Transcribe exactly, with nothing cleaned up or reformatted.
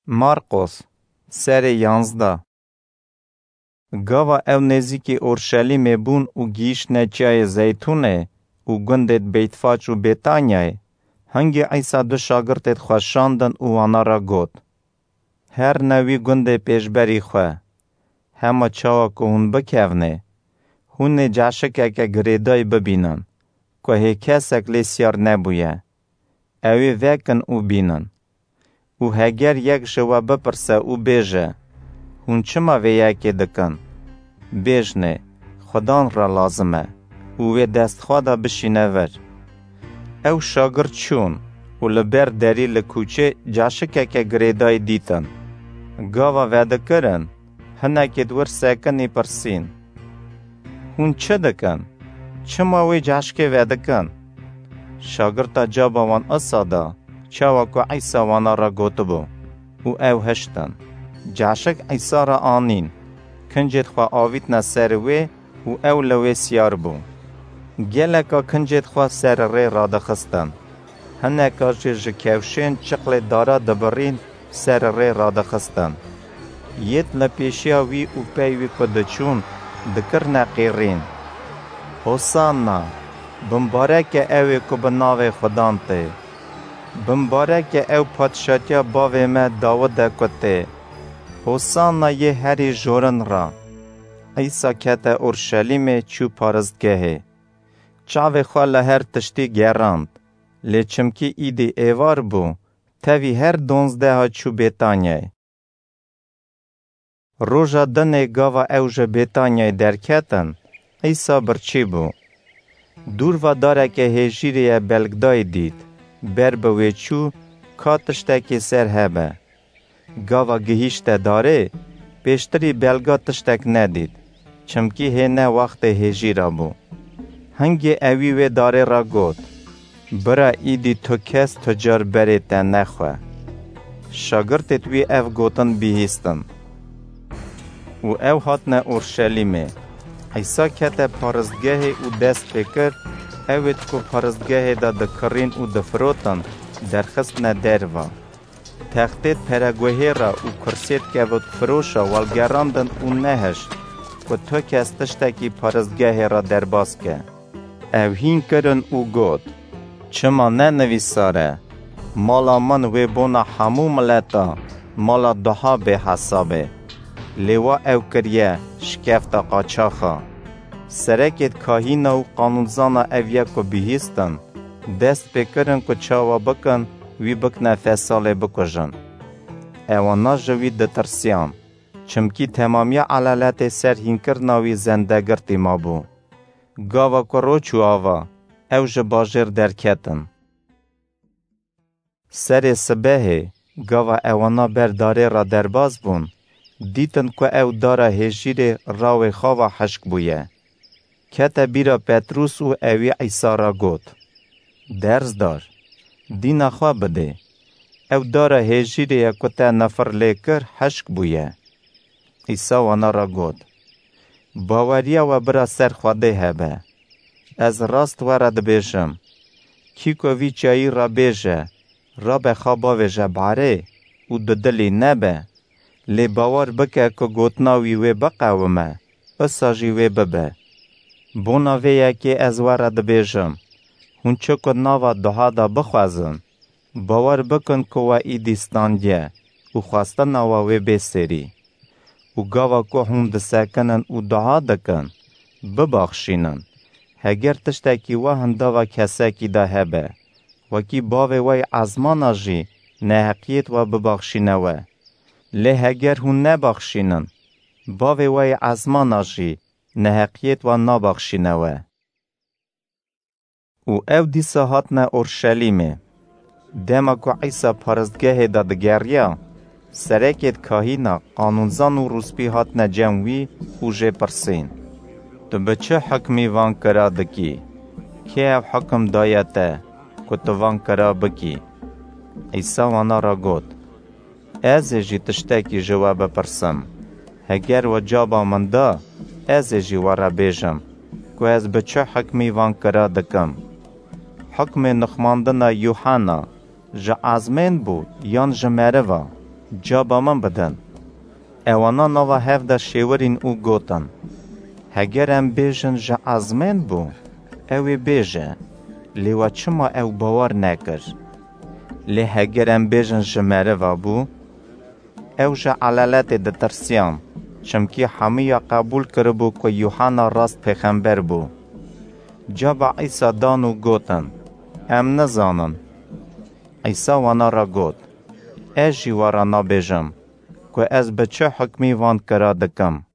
Marqos, serê yanzdeh. Gava ew nêzîkî Orşelîmê bûn û gihîştine Çiyayê Zeytûnê û gundê Beytfaç û Bêtanyayê, hingî Îsa du şagirtêd xwe şandin û wana re got: Herne wî gundê pêşberî xwe. Hema çawa ku hûn bikevnê, hûn ê cehşikeke girêdayî bibînin, ku hê kesek lê siyar nebûye. Ew ê vekin û bînin. Û heger yek ji we bipirse û bêje: Hûn çima vê yekê dikin? Bêjnê: Xudan re lazim e û wê dest xwe de bişîne vir. Ew şagirt çûn û li ber derî li kûçê cehşikeke girêdayî dîtin. Gava vedikirin, hinekêd wir sekinî pirsîn: Hûn çi dikin? Çima wê cehşkê vedikin? Şagirta caba wan isa da, çawa ku Îsa wana re gotibû, û ew hiştin. Cehşik Îsa re anîn, kincêd xwe avîtine ser wê û ew li wê siyar bû. Geleka kincêd xwe ser rê radixistin. Hineka jî ji kewşên çiqlê dara dibirîn ser rê radixistin. Yêd li pêşiya wî û pey wî ku diçûn, dikirine qîrîn: Hosanna! Bimbarek e ew ê ku bi navê Xudan tê. Bimbarek e ew padşatiya bavê me Dawid e ku tê. Hosanna yê herî jorin re. Îsa kete Orşelîmê, çû paristgehê. Çavê xwe li her tiştî gerand, lê çimkî îdî êvar bû, tevî her donzdeha çû Bêtanyayê. Roja dinê gava ew ji Bêtanyayê derketin, Îsa birçî bû. Dûr ve dareke hêjîrê ye belgdayî dît, ber bi wê çû ka tiştekî ser hebe. Gava gihîşte darê, pêştirî belga tiştek nedît, çimkî hê ne wextê hêjîra bû. Hingê ewî wê darê re got: Bira, îdî tu kes tu car berê te nexwe. Şagirtêd wî ev gotin bihîstin. Û ew hatine Orşelîmê. Îsa kete paristgehê û dest pê kir, ewêd ku paristgehê de dikirîn û difirotin, derxistine derva. Textêd pereguhê re û kursêd kevotfiroşa welgerandin û nehişt ku tu kes tiştekî paristgehê re derbas ke. Ew hîn kirin û got: Çima ne nivîsar e: Mala min wê bona hemû mileta mala duha bê hesabê? Lê wa ew kiriye şikefta qaçaxa. Serekêd kahîna û qanûnzana ev yek ku bihîstin, dest pê kirin ku çawa bikin, wî bikine fesalê bikujin. Ewana ji wî ditirsiyan, çimkî temamiya elaletê ser hînkirina wî zendegirtî mabû. Gava ku roj çû ava, ew ji bajêr derketin. Serê sibehê, gava ewana ber darê re derbas bûn, dîtin ku ew dara hêjîrê rawê xava hişk bûye. Kete bîra Petrûs û ewî Îsa re got: Derzdar, dîna xwe bidê. Ew dara hêjîrê ye ku te nifir lê kir, hişk bûye. Îsa wana re got: Baweriya we bira ser Xwedê hebe. Ez rast we re dibêjim, kî ku vî çiyayî re bêje: Rabe xwe bavêje barê û dudilî nebe, lê bawer bike ku gotina wî wê biqewime, wisa jî wê bibe. Bona vê yekê ez we re dibêjim, hûn çi ku nava duha de bixwezin, bawer bikin ku we îdî standiye û xwestina we wê bê serî. Û gava ku hûn disekinin û dua dikin, bibaxşînin, heger tiştekî we hindava kesekî de hebe, wekî Bavê we yê ezmana jî neheqiyêd we bibaxşîne we. Lê heger hûn nebaxşînin, Bavê we yê ezmana jî neheqiyêd we nabaxşîne we. Û ew dîsa hatine Orşelîmê. Dema ku Îsa paristgehê de digeriya, serekêd kahîna, qanûnzan û rûspî hatine cem wî û jê pirsîn: Tu bi çi hikmî van kira dikî? Kê ev hikim daye te ku tu van kira bikî? Îsa wana re got: Ez ê jî tiştekî ji we bipirsim. Heger we caba min da, ez ê jî we re bêjim ku ez bi çi hikmî van kira dikim. Hikmê nixmandina Yûhena ji ezmên bû yan ji meriva? Caba min bidin. Ewana nava hev de şêwirîn û gotin, Heger em bêjin ji ezmên bû, ew ê bêje, lê we çima ew bawer nekir? Lê heger em bêjin ji meriva bû, ew ji elaletê ditirsiyan, çimkî hemiya qebûl kiribû ku Yuhanna rast pêxember bû. Caba Îsa dan û gotin, Em nizanin. Îsa wana re got, Ez jî we re nabêjim ku ez bi çi hukmî van kira dikim.